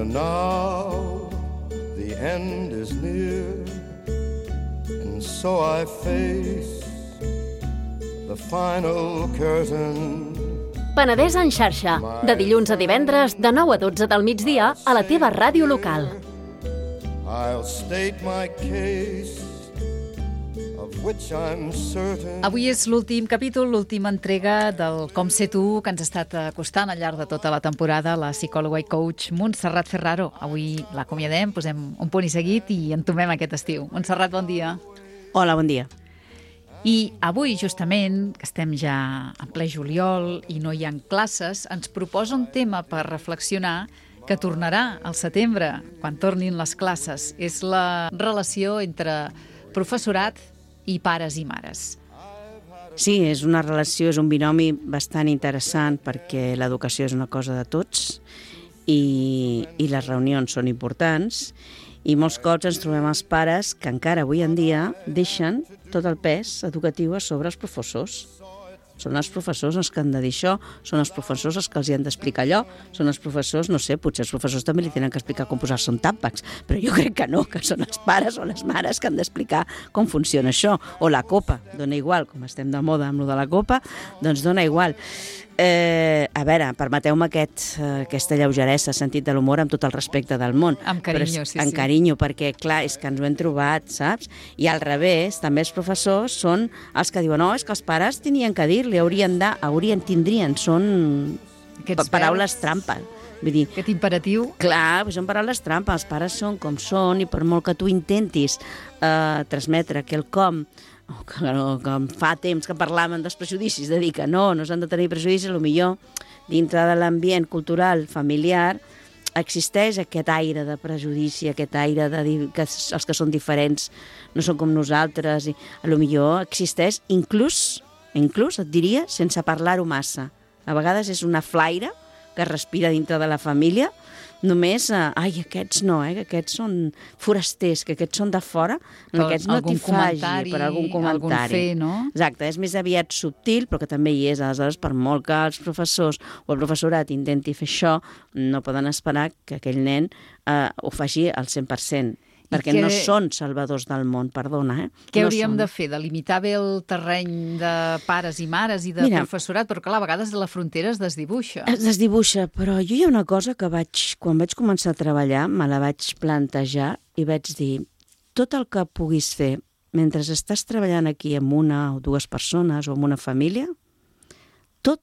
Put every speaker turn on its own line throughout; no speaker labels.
And now the end is near, and so I face the final curtain.
Penedès en xarxa, de dilluns a divendres, de 9 a 12 del migdia, a la teva ràdio local.
I'll state my case, of which I'm certain.
Avui és l'últim capítol, l'última entrega del Com sé tu, que ens ha estat acostant al llarg de tota la temporada la psicòloga i coach Montserrat Ferraro. Avui l'acomiadem, posem un punt i seguit i entomem aquest estiu. Montserrat, bon dia.
Hola, bon dia.
I avui, justament, que estem ja en ple juliol i no hi ha classes, ens proposa un tema per reflexionar que tornarà al setembre, quan tornin les classes. És la relació entre professorat i pares i mares.
Sí, és una relació, és un binomi bastant interessant perquè l'educació és una cosa de tots i les reunions són importants i molts cops ens trobem els pares que encara avui en dia deixen tot el pes educatiu a sobre els professors. Són els professors els que han de dir això, són els professors els que els hi han d'explicar allò, són els professors, no sé, potser els professors també li tenen que explicar com posar-se un tàmpax, però jo crec que no, que són els pares o les mares que han d'explicar com funciona això. O la copa, dona igual, com estem de moda amb lo de la copa, doncs dona igual. A veure, permeteu-me aquesta lleugeresa, sentit de l'humor, amb tot el respecte del món.
Amb carinyo, sí.
Amb carinyo, perquè, clar, és que ens ho hem trobat, saps? I al revés, també els professors són els que diuen, no, és que els pares tenien que dir-li, tindrien, són paraules trampa. Vull dir,
aquest imperatiu.
Clar, són paraules trampa, els pares són com són i per molt que tu intentis transmetre quelcom que fa temps que parlaven dels prejudicis, de dir que no s'han de tenir prejudicis, potser dintre de l'ambient cultural familiar existeix aquest aire de prejudici, aquest aire de dir que els que són diferents no són com nosaltres, i potser existeix inclús et diria, sense parlar-ho massa. A vegades és una flaire que es respira dintre de la família, només, aquests no, que aquests són forasters, que aquests són de fora, aquests no t'hi faci per algun comentari.
Algun fer, no?
Exacte, és més aviat subtil, però que també hi és. Aleshores, per molt que els professors o el professorat intenti fer això, no poden esperar que aquell nen ho faci al 100%. Perquè no són salvadors del món, perdona.
Què hauríem de fer? Delimitar bé el terreny de pares i mares i de professorat? Però clar, a vegades la frontera es desdibuixa.
Es desdibuixa, però jo hi ha una cosa que quan vaig començar a treballar me la vaig plantejar i vaig dir, tot el que puguis fer mentre estàs treballant aquí amb una o dues persones o amb una família, tot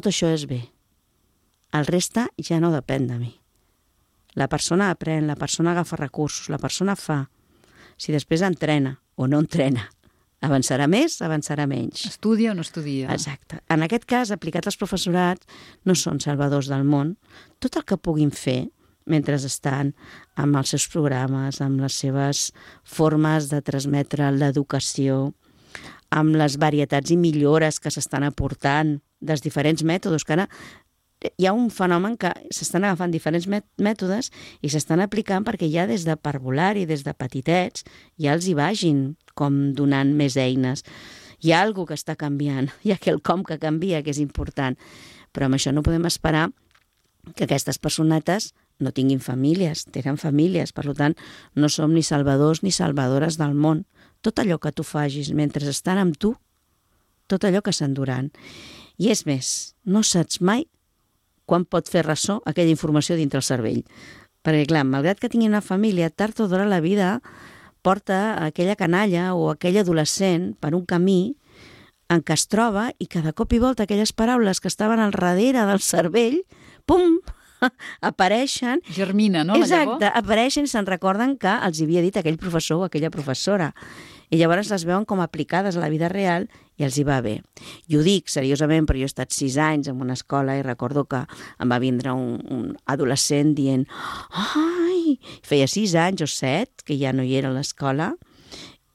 això és bé. El reste ja no depèn de mi. La persona aprèn, la persona agafa recursos, la persona fa. Si després entrena o no entrena, avançarà més, avançarà menys.
Estudia o no estudia.
Exacte. En aquest cas, aplicat als professorats, no són salvadors del món. Tot el que puguin fer, mentre estan amb els seus programes, amb les seves formes de transmetre l'educació, amb les varietats i millores que s'estan aportant dels diferents mètodes, que ara hi ha un fenomen que s'estan agafant diferents mètodes i s'estan aplicant perquè ja des de parvulari, des de petitets, ja els hi vagin com donant més eines. Hi ha alguna que està canviant, hi ha quelcom que canvia, que és important. Però amb això no podem esperar que aquestes personetes no tinguin famílies, tenen famílies, per tant, no som ni salvadors ni salvadores del món. Tot allò que tu facis mentre estan amb tu, tot allò que s'enduran. I és més, no saps mai quan pot fer ressò aquella informació dintre el cervell. Perquè, clar, malgrat que tingui una família, tard o d'hora la vida porta aquella canalla o aquell adolescent per un camí en què es troba i cada cop i volta aquelles paraules que estaven al darrere del cervell, pum, apareixen.
Germina, no?
Exacte, apareixen i se'n recorden que els havia dit aquell professor o aquella professora. I llavors les veuen com aplicades a la vida real i els hi va bé. I ho dic seriosament, però jo he estat 6 anys en una escola i recordo que em va vindre un adolescent dient ai, feia 6 anys o 7 que ja no hi era a l'escola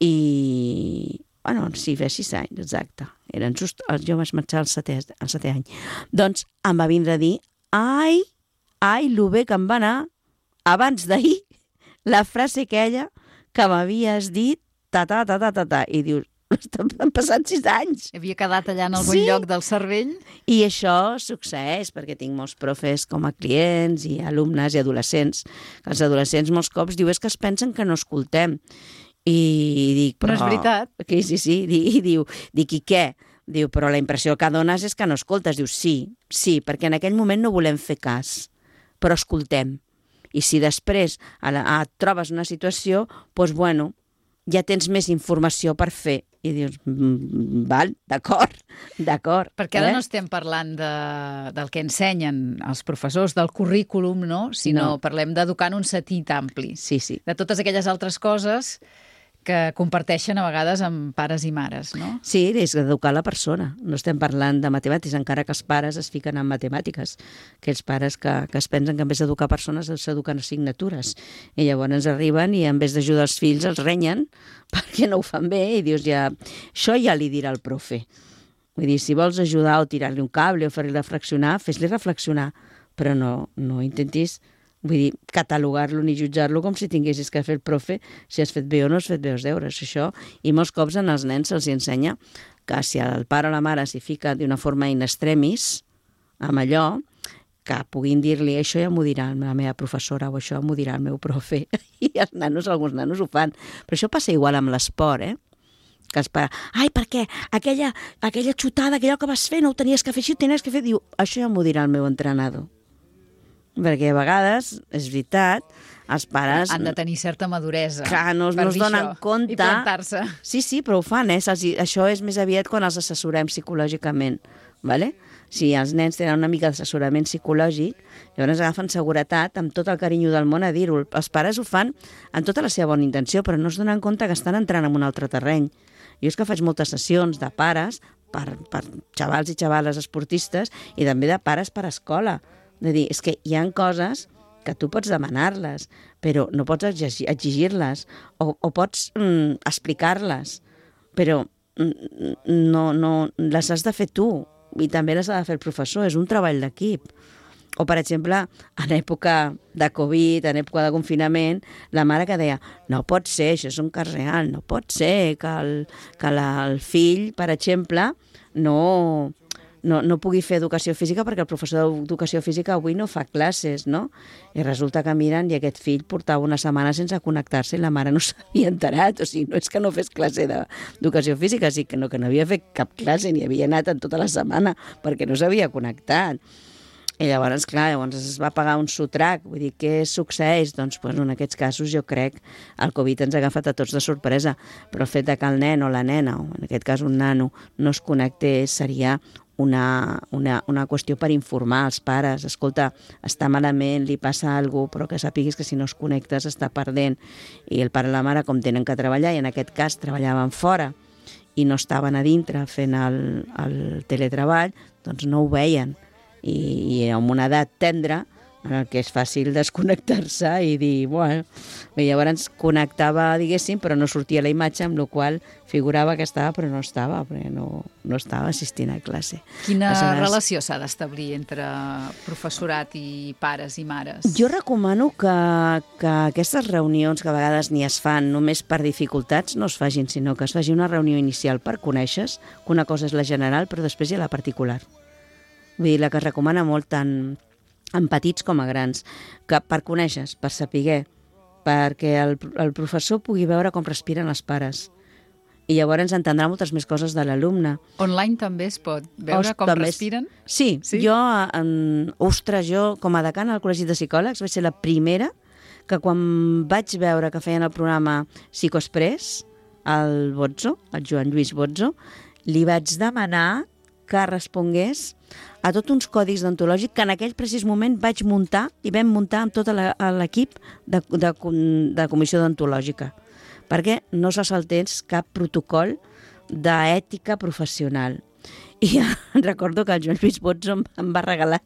i, sí, feia 6 anys, exacte. Jo vaig marxar al 7è any. Doncs em va vindre a dir ai, lo bé que em va anar abans d'ahir la frase aquella que m'havies dit ta, i dius, Han passat 6 anys.
Havia quedat allà en algun lloc del cervell?
I això succeeix, perquè tinc molts profes com a clients i alumnes i adolescents. Els adolescents molts cops diu és que es pensen que no escoltem. I dic, però...
No és veritat.
Sí, i diu, i què? Diu, però la impressió que dones és que no escoltes. Diu, sí, perquè en aquell moment no volem fer cas, però escoltem. I si després et trobes una situació, doncs, bueno, ja tens més informació per fer. I dius, val, d'acord.
Perquè ara no estem parlant del que ensenyen els professors, del currículum, no? Sinó parlem d'educar en un sentit ampli.
Sí.
De totes aquelles altres coses que comparteixen a vegades amb pares i mares, no?
Sí, és d'educar la persona. No estem parlant de matemàtiques, encara que els pares es fiquen en matemàtiques. Aquells pares que es pensen que en vez d'educar persones s'eduquen assignatures. I llavors arriben i en vez d'ajudar els fills els renyen perquè no ho fan bé i dius això ja li dirà el profe. Vull dir, si vols ajudar o tirar-li un cable o fer-li reflexionar, fes-li reflexionar, però no intentis... Vull dir, catalogar-lo ni jutjar-lo com si tinguessis que fer el profe si has fet bé o no has fet bé els deures, això. I molts cops als nens se'ls ensenya que si el pare o la mare s'hi fica d'una forma in extremis amb allò, que puguin dir-li això ja m'ho dirà la meva professora o això m'ho dirà el meu profe. I alguns nanos ho fan. Però això passa igual amb l'esport, que els pares, per què? Aquella xutada, aquell que vas fer, no ho tenies que fer així, ho tenies que fer. Diu, això ja m'ho dirà el meu entrenador. Perquè a vegades, és veritat, els pares...
Han de tenir certa maduresa.
Clar, no es donen compte...
I plantar-se.
Sí, però ho fan, Això és més aviat quan els assessorem psicològicament, ¿vale? Si els nens tenen una mica d'assessorament psicològic, llavors agafen seguretat amb tot el carinyo del món a dir-ho. Els pares ho fan amb tota la seva bona intenció, però no es donen compte que estan entrant en un altre terreny. Jo és que faig moltes sessions de pares per xavals i xavales esportistes i també de pares per escola. De dir, és que hi ha coses que tu pots demanar-les, però no pots exigir-les o pots explicar-les, però no les has de fer tu i també les ha de fer el professor, és un treball d'equip. O, per exemple, en època de Covid, en època de confinament, la mare que deia, no pot ser, això és un cas real, no pot ser que el fill, per exemple, no pugui fer educació física perquè el professor d'educació física avui no fa classes, no? I resulta que miren i aquest fill portava una setmana sense connectar-se i la mare no s'havia enterat. O sigui, no és que no fes classe d'educació física, sí que no havia fet cap classe ni havia anat en tota la setmana perquè no s'havia connectat. I llavors, clar, es va pagar un sotrac. Vull dir, què succeeix? Doncs en aquests casos jo crec el Covid ens ha agafat a tots de sorpresa, però el fet que el nen o la nena, o en aquest cas un nano, no es connectés seria una qüestió per informar els pares. Escolta, està malament, li passa alguna cosa, però que sàpiguis que si no es connectes està perdent. I el pare i la mare, com tenen que treballar, i en aquest cas treballaven fora i no estaven a dintre fent el teletreball, doncs no ho veien. I amb una edat tendra, en el que és fàcil desconnectar-se i dir, bueno, llavors connectava, diguéssim, però no sortia la imatge, amb la qual figurava que estava, però no estava, perquè no estava assistint a classe.
Quina relació s'ha d'establir entre professorat i pares i mares?
Jo recomano que aquestes reunions, que a vegades ni es fan només per dificultats, no es facin, sinó que es faci una reunió inicial per conèixer, que una cosa és la general, però després hi ha la particular. Vull dir, la que es recomana molt tant en petits com a grans, que per conèixer, per saber, perquè el professor pugui veure com respiren els pares. I llavors entendrà moltes més coses de l'alumne.
Online també es pot veure com respiren?
Sí, jo, jo com a decana al Col·legi de Psicòlegs vaig ser la primera que quan vaig veure que feien el programa Psicoexpress, el Bozzo, el Joan Lluís Bozzo, li vaig demanar que respongués a tots uns còdics deontològics que en aquell precís moment vaig muntar i vam muntar amb tot l'equip de comissió deontològica, perquè no se saltés cap protocol d'ètica professional. I recordo que el Joan Lluís Bozzo em va regalar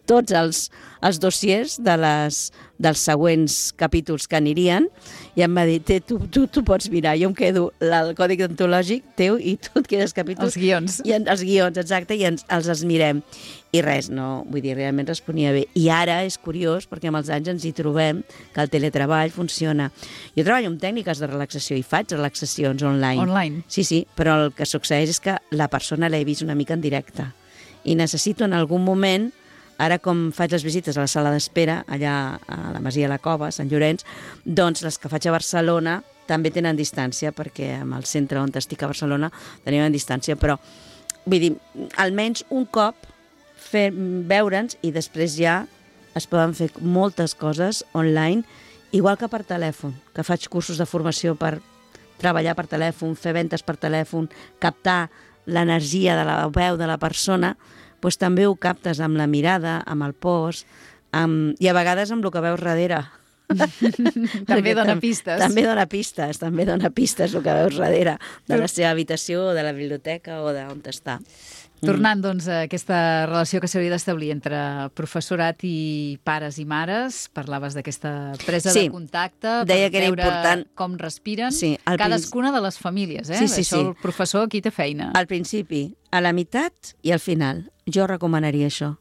tots els dossiers dels següents capítols que anirien, i em va dir, tu pots mirar, jo em quedo el codi deontològic teu i tu et quedes capítols.
Els guions.
Els guions, exacte, i els mirem. I res, no, vull dir, realment responia bé. I ara és curiós, perquè amb els anys ens hi trobem que el teletreball funciona. Jo treballo amb tècniques de relaxació i faig relaxacions online.
Online?
Sí, però el que succeeix és que la persona l'he vist una mica en directe. I necessito en algun moment, ara com faig les visites a la sala d'espera, allà a la Masia de la Cova, a Sant Llorenç, doncs les que faig a Barcelona també tenen distància, perquè amb el centre on estic a Barcelona tenim distància, però vull dir, almenys un cop veure'ns i després ja es poden fer moltes coses online, igual que per telèfon, que faig cursos de formació per treballar per telèfon, fer ventes per telèfon, captar l'energia de la veu de la persona, doncs també ho captes amb la mirada, amb el post, i a vegades amb el que veus darrere.
També dona pistes.
També dona pistes el que veus darrere de la seva habitació, o de la biblioteca o d'on està.
Tornant, doncs, a aquesta relació que s'hauria d'establir entre professorat i pares i mares, parlaves d'aquesta presa de contacte,
deia
per
que era
veure
important.
Com respiren,
Cadascuna
de les famílies,
Sí.
Això el professor aquí té feina.
Al principi, a la meitat i al final. Jo recomanaria això.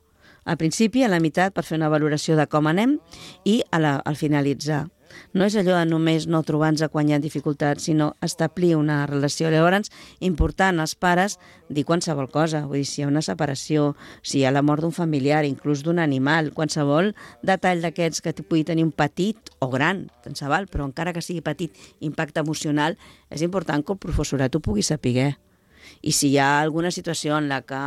Al principi, a la meitat, per fer una valoració de com anem, i al finalitzar. No és allò de només no trobar-nos quan hi ha dificultats, sinó establir una relació. Llavors, important als pares dir qualsevol cosa. Vull dir, si hi ha una separació, si hi ha la mort d'un familiar, inclús d'un animal, qualsevol detall d'aquests que pugui tenir un petit o gran, tant se val, però encara que sigui petit, impacte emocional, és important que el professorat ho pugui saber. I si hi ha alguna situació en la que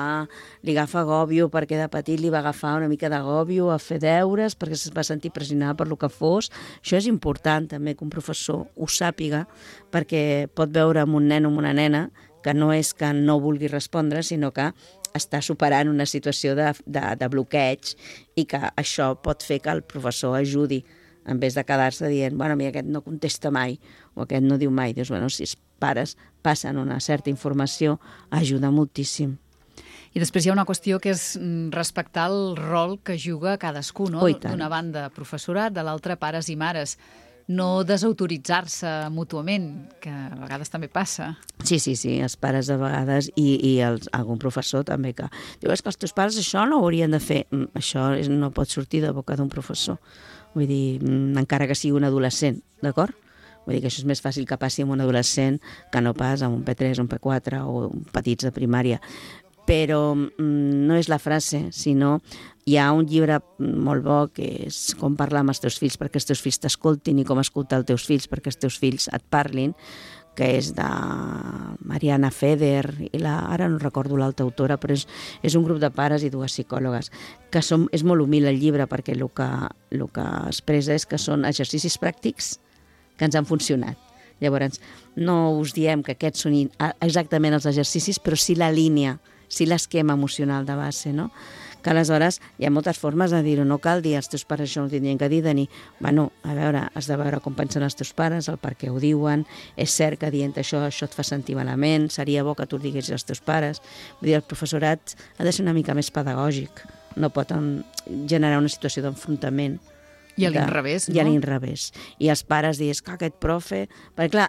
li agafa agòbio perquè de petit li va agafar una mica d'agòbio a fer deures perquè es va sentir pressionada per lo que fos, això és important també que un professor ho sàpiga, perquè pot veure amb un nen o amb una nena que no és que no vulgui respondre, sinó que està superant una situació de bloqueig, i que això pot fer que el professor ajudi, en vez de quedar-se dient, bueno, mira, aquest no contesta mai, o aquest no diu mai. Dius, bueno, si els pares passen una certa informació, ajuda moltíssim.
I després hi ha una qüestió que és respectar el rol que juga cadascú, no? D'una banda professorat, de l'altra pares i mares. No desautoritzar-se mútuament, que a vegades també passa.
Sí, els pares a vegades, i algun professor també, que diu, és que els teus pares això no ho haurien de fer. Això no pot sortir de boca d'un professor. Vull dir, encara que sigui un adolescent, d'acord? Vull dir que això és més fàcil que passi amb un adolescent que no pas amb un P3, un P4 o petits de primària. Però no és la frase, sinó hi ha un llibre molt bo que és com parlar amb els teus fills perquè els teus fills t'escoltin, i com escoltar els teus fills perquè els teus fills et parlin, que és de Mariana Feder, i ara no recordo l'altra autora, però és un grup de pares i dues psicòlogues, que és molt humil el llibre, perquè el que expressa és que són exercicis pràctics que ens han funcionat. Llavors, no us diem que aquests són exactament els exercicis, però sí la línia, sí l'esquema emocional de base, no? Que aleshores hi ha moltes formes de dir-ho, no cal dir als teus pares això no tindrien que dir, de dir, bueno, a veure, has de veure com pensen els teus pares, el per què ho diuen, és cert que dient això et fa sentir malament, seria bo que tu ho diguessis als teus pares. Vull dir, el professorat ha de ser una mica més pedagògic, no pot generar una situació d'enfrontament.
I a l'inrevés, no?
I a l'inrevés. I els pares dius que aquest profe... Perquè clar,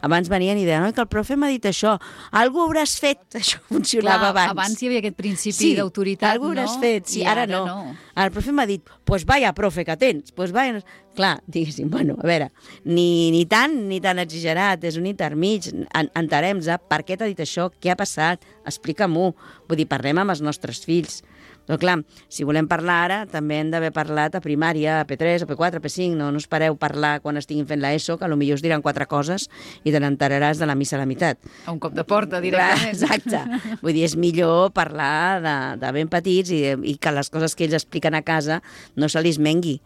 abans venien i deien que el profe m'ha dit això, algú hauràs fet, això funcionava abans.
Abans hi havia aquest principi d'autoritat, no?
Sí, algú hauràs fet, sí, ara no. El profe m'ha dit, pues vaya profe que tens, pues vaya... Clar, diguéssim, bueno, a veure, ni tan exagerat, és un intermig, entenem-nos per què t'ha dit això, què ha passat, explica-m'ho, vull dir, parlem amb els nostres fills. Però clar, si volem parlar ara, també hem d'haver parlat a primària, a P3, a P4, a P5, no espereu parlar quan estiguin fent l'ESO, que potser us diran 4 coses i te n'enteraràs de la missa a la meitat.
A un cop de porta, directament.
Exacte. Vull dir, és millor parlar de ben petits i que les coses que ells expliquen a casa no se li mengui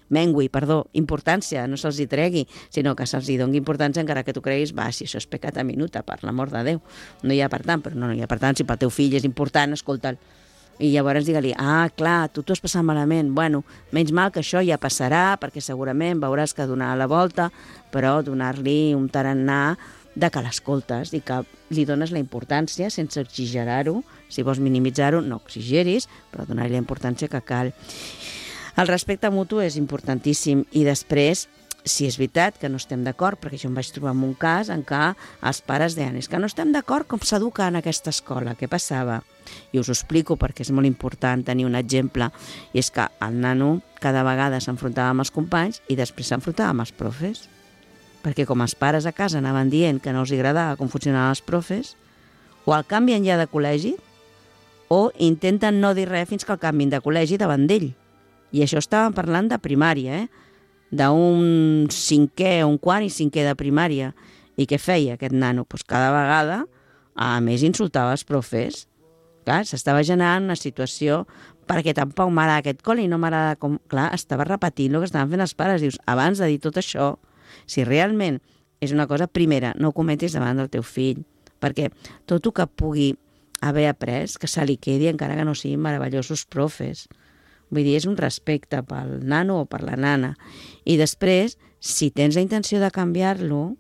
importància, no se'ls hi tregui, sinó que se'ls hi doni importància, encara que tu creguis, si això és pecat a minuta, per l'amor de Déu. No hi ha per tant, però no hi ha per tant, si pel teu fill és important, escolta'l. I llavors digue-li, clar, tu t'ho has passat malament. Bueno, menys mal que això ja passarà, perquè segurament veuràs que donarà la volta, però donar-li un tarannà de que l'escoltes i que li dones la importància sense exagerar-ho. Si vols minimitzar-ho, no exageris, però donar-li la importància que cal. El respecte mutu és importantíssim i després, si és veritat que no estem d'acord, perquè jo em vaig trobar en un cas en què els pares deien és que no estem d'acord com s'educa en aquesta escola, què passava? I us ho explico perquè és molt important tenir un exemple, i és que el nano cada vegada s'enfrontava amb els companys i després s'enfrontava amb els profes. Perquè com els pares a casa anaven dient que no els agradava com funcionaven els profes, o el canvien ja de col·legi, o intenten no dir res fins que el canvin de col·legi davant d'ell. I això estàvem parlant de primària, d'un cinquè, un quart i cinquè de primària. I què feia aquest nano? Pues cada vegada, a més, insultava els profes. Clar, s'estava generant una situació perquè tampoc m'agrada aquest col·le i no m'agrada com... Clar, estava repetint el que estaven fent els pares. Dius, abans de dir tot això, si realment és una cosa, primera, no ho cometis davant del teu fill, perquè tot el que pugui haver après, que se li quedi, encara que no siguin meravellosos profes. Vull dir, és un respecte pel nano o per la nana. I després, si tens la intenció de canviar-lo,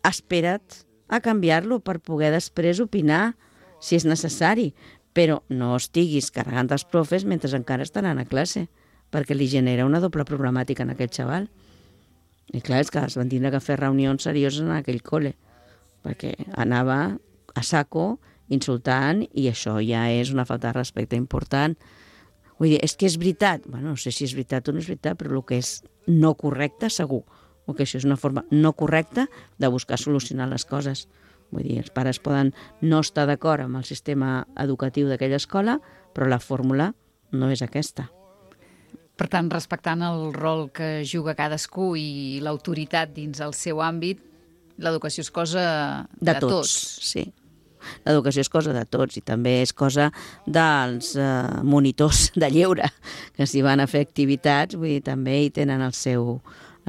espera't a canviar-lo per poder després opinar, si és necessari, però no estiguis carregant els profes mentre encara estaran a classe, perquè li genera una doble problemàtica en aquest xaval. I clar, és que es van tindre que fer reunions serioses en aquell col·le, perquè anava a saco insultant i això ja és una falta de respecte important. Vull dir, és que és veritat, bueno, no sé si és veritat o no és veritat, però el que és no correcte segur, o que això és una forma no correcta de buscar solucionar les coses. Vull dir, els pares poden no estar d'acord amb el sistema educatiu d'aquella escola, però la fórmula no és aquesta.
Per tant, respectant el rol que juga cadascú i l'autoritat dins el seu àmbit, l'educació és cosa de tots.
Sí. L'educació és cosa de tots i també és cosa dels monitors de lleure, que si van a fer activitats, vull dir, també hi tenen la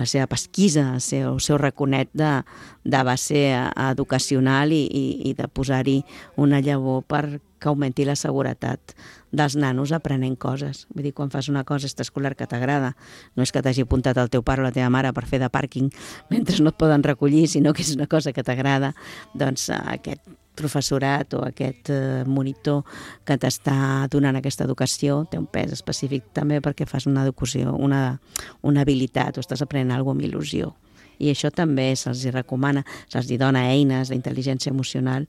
seva pesquisa, el seu raconet de base educacional i de posar-hi una llavor per que augmenti la seguretat dels nanos aprenent coses. Vull dir, quan fas una cosa extraescolar que t'agrada, no és que t'hagi apuntat el teu pare o la teva mare per fer de pàrquing mentre no et poden recollir, sinó que és una cosa que t'agrada, doncs aquest professorat o aquest monitor que t'està donant aquesta educació té un pes específic també perquè fas una educació, una habilitat o estàs aprenent alguna cosa amb il·lusió. I això també se'ls recomana, se'ls dona eines d'intel·ligència emocional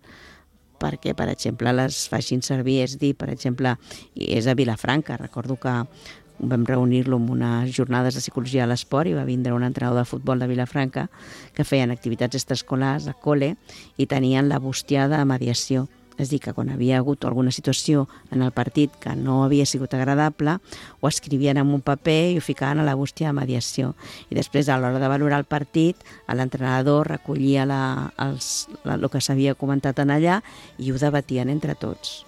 perquè, per exemple, les facin servir, és dir, per exemple, és a Vilafranca, recordo que vam reunir-lo en unes jornades de psicologia a l'esport i va vindre un entrenador de futbol de Vilafranca que feien activitats extraescolars a col·le i tenien la bústia de mediació. És a dir, que quan havia hagut alguna situació en el partit que no havia sigut agradable, ho escrivien en un paper i ho ficaven a la bústia de mediació. I després, a l'hora de valorar el partit, l'entrenador recollia el que s'havia comentat en allà i ho debatien entre tots.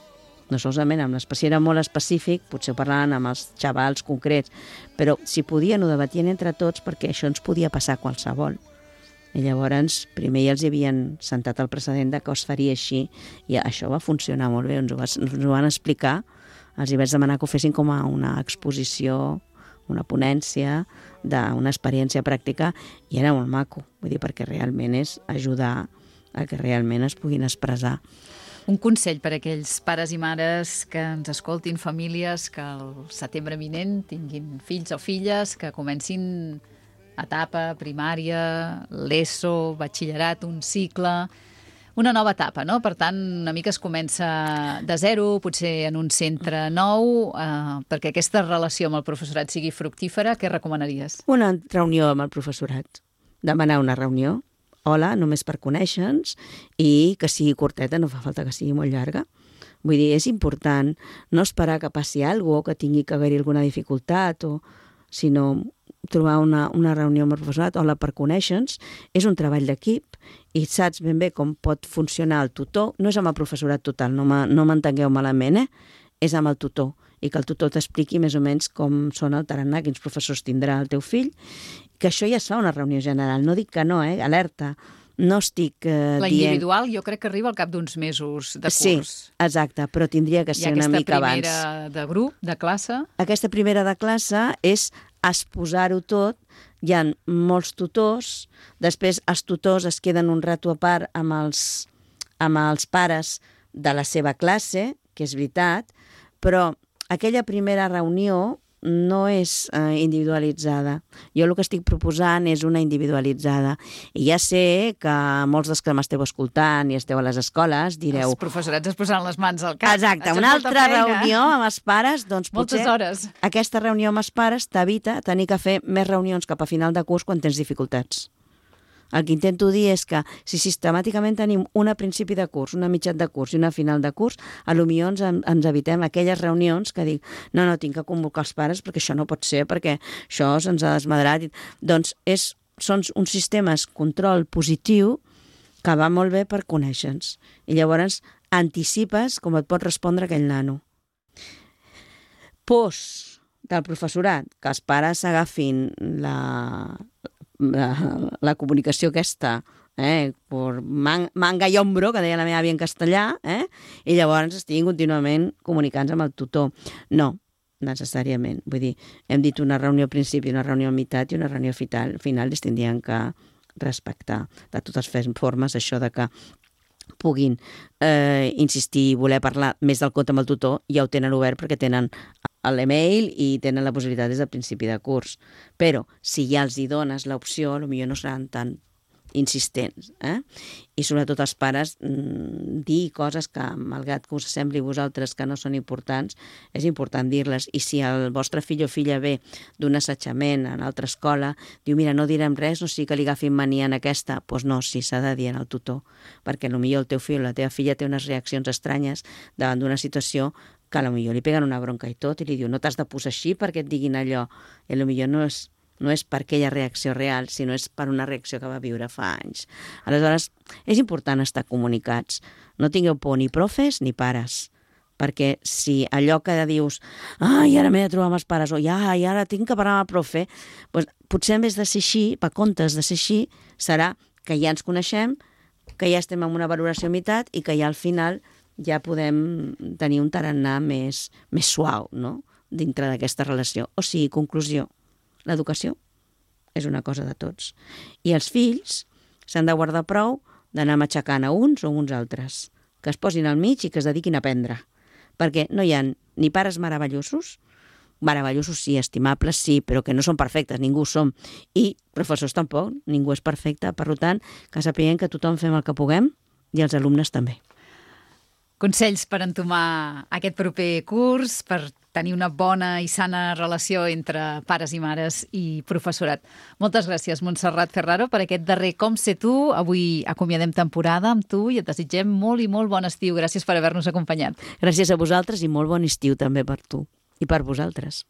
No solament amb l'espècie era molt específic, potser parlaven amb els xavals concrets, però si podien ho debatien entre tots perquè això ens podia passar a qualsevol. I llavors primer ja els havien sentat el precedent de que es faria així i això va funcionar molt bé, ens ho van explicar, els hi vaig demanar que ho fessin com a una exposició, una ponència d'una experiència pràctica i era molt maco, vull dir, perquè realment és ajudar a que realment es puguin expressar.
Un consell per a aquells pares i mares que ens escoltin, famílies que al setembre vinent tinguin fills o filles que comencin etapa, primària, l'ESO, batxillerat, un cicle, una nova etapa, no? Per tant, una mica es comença de zero, potser en un centre nou, perquè aquesta relació amb el professorat sigui fructífera, què recomanaries?
Una reunió amb el professorat, demanar una reunió, hola, només per conèixer-nos, i que sigui curteta, no fa falta que sigui molt llarga. Vull dir, és important no esperar que passi alguna cosa, que tingui que haver-hi alguna dificultat, sinó trobar una reunió amb el professorat, hola, per conèixer-nos, és un treball d'equip i saps ben bé com pot funcionar el tutor, no és amb el professorat total, no m'entengueu malament, és amb el tutor, i que el tutor t'expliqui més o menys com són el tarannà, quins professors tindrà el teu fill, que això ja es fa una reunió general, no dic que no, alerta, no estic dient...
La individual jo crec que arriba al cap d'uns mesos de curs.
Sí, exacte, però tindria que ser una mica abans.
I aquesta primera de grup, de classe?
Aquesta primera de classe és exposar-ho tot hi ha molts tutors, després els tutors es queden un rato a part amb els pares de la seva classe, que és veritat, però aquella primera reunió no és individualitzada. Jo el que estic proposant és una individualitzada. I ja sé que molts dels que m'esteu escoltant i esteu a les escoles direu...
Els professorats es posaran les mans al cap.
Exacte, una altra reunió amb els pares, doncs
moltes
potser
hores.
Aquesta reunió amb els pares t'evita tenir que fer més reunions cap a final de curs quan tens dificultats. El que intento dir és que si sistemàticament tenim una principi de curs, una mitjan de curs i una final de curs, potser ens evitem aquelles reunions que dic no, tinc que convocar els pares perquè això no pot ser, perquè això se'ns ha desmadrat. Doncs són uns sistemes control positiu que va molt bé per conèixer-nos. I llavors anticipes com et pot respondre aquell nano. Pors del professorat, que els pares agafin la comunicació aquesta, per manga i ombro, que deia la meva àvia en castellà, i llavors estiguin contínuament comunicant-se amb el tutor. No, necessàriament. Vull dir, hem dit una reunió al principi, una reunió a meitat i una reunió final, es tindrien que respectar. De totes formes, això de que puguin insistir i voler parlar més del compte amb el tutor, ja ho tenen obert perquè tenen l'email i tenen la possibilitat des del principi de curs. Però si ja els hi dones l'opció, potser no seran tan insistents. I sobretot els pares dir coses que, malgrat que us sembli a vosaltres que no són importants, és important dir-les. I si el vostre fill o filla ve d'un assetjament en altra escola, diu, mira, no direm res, no sigui que li agafin mania en aquesta, doncs no, sí, s'ha de dir al tutor, perquè potser el teu fill o la teva filla té unes reaccions estranyes davant d'una situació que potser li peguen una bronca i tot, i li diu, no t'has de posar així perquè et diguin allò. I potser no és per aquella reacció real, sinó és per una reacció que va viure fa anys. Aleshores, és important estar comunicats. No tingueu por ni profes ni pares, perquè si allò que dius i ara m'he de trobar amb els pares, o i ara tinc que parlar amb el profe, doncs potser en vez de ser així, per comptes de ser així, serà que ja ens coneixem, que ja estem en una valoració a meitat i que ja al final ja podem tenir un tarannà més suau, no?, dintre d'aquesta relació. O sigui, conclusió, l'educació és una cosa de tots. I els fills s'han de guardar prou d'anar matxacant a uns o uns altres, que es posin al mig i que es dediquin a aprendre. Perquè no hi ha ni pares meravellosos sí, estimables sí, però que no són perfectes, ningú som. I professors tampoc, ningú és perfecte. Per tant, que sapiguem que tothom fem el que puguem i els alumnes també.
Consells per entomar aquest proper curs, per tenir una bona i sana relació entre pares i mares i professorat. Moltes gràcies, Montserrat Ferraro, per aquest darrer Com sé tu. Avui acomiadem temporada amb tu i et desitgem molt i molt bon estiu. Gràcies per haver-nos acompanyat.
Gràcies a vosaltres i molt bon estiu també per tu i per vosaltres.